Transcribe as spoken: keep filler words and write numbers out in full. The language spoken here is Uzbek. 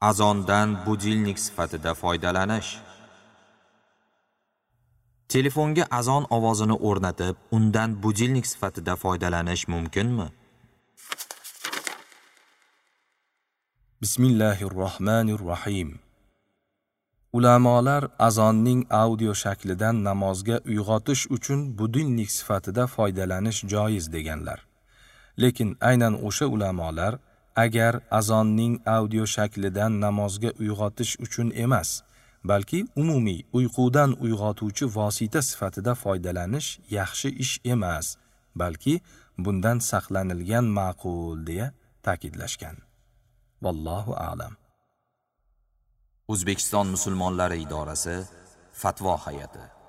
Azondan budilnik sifatida foydalanish. Telefonga azon ovozini o'rnatib, undan budilnik sifatida foydalanish mumkinmi? Bismillahirrohmanirrohim. Ulamolar azonning audio shaklidan namozga uyg'otish uchun budilnik sifatida foydalanish joiz deganlar. Lekin aynan o'sha ulamolar agar azonning audio shaklidan namozga uyg'otish uchun emas, balki umumiy uyqudan uyg'otuvchi vosita sifatida foydalanish yaxshi ish emas, balki bundan saqlanilgan ma'qul deya ta'kidlashgan. Vallohu a'lam. O'zbekiston musulmonlari idorasi Fatvo hay'ati.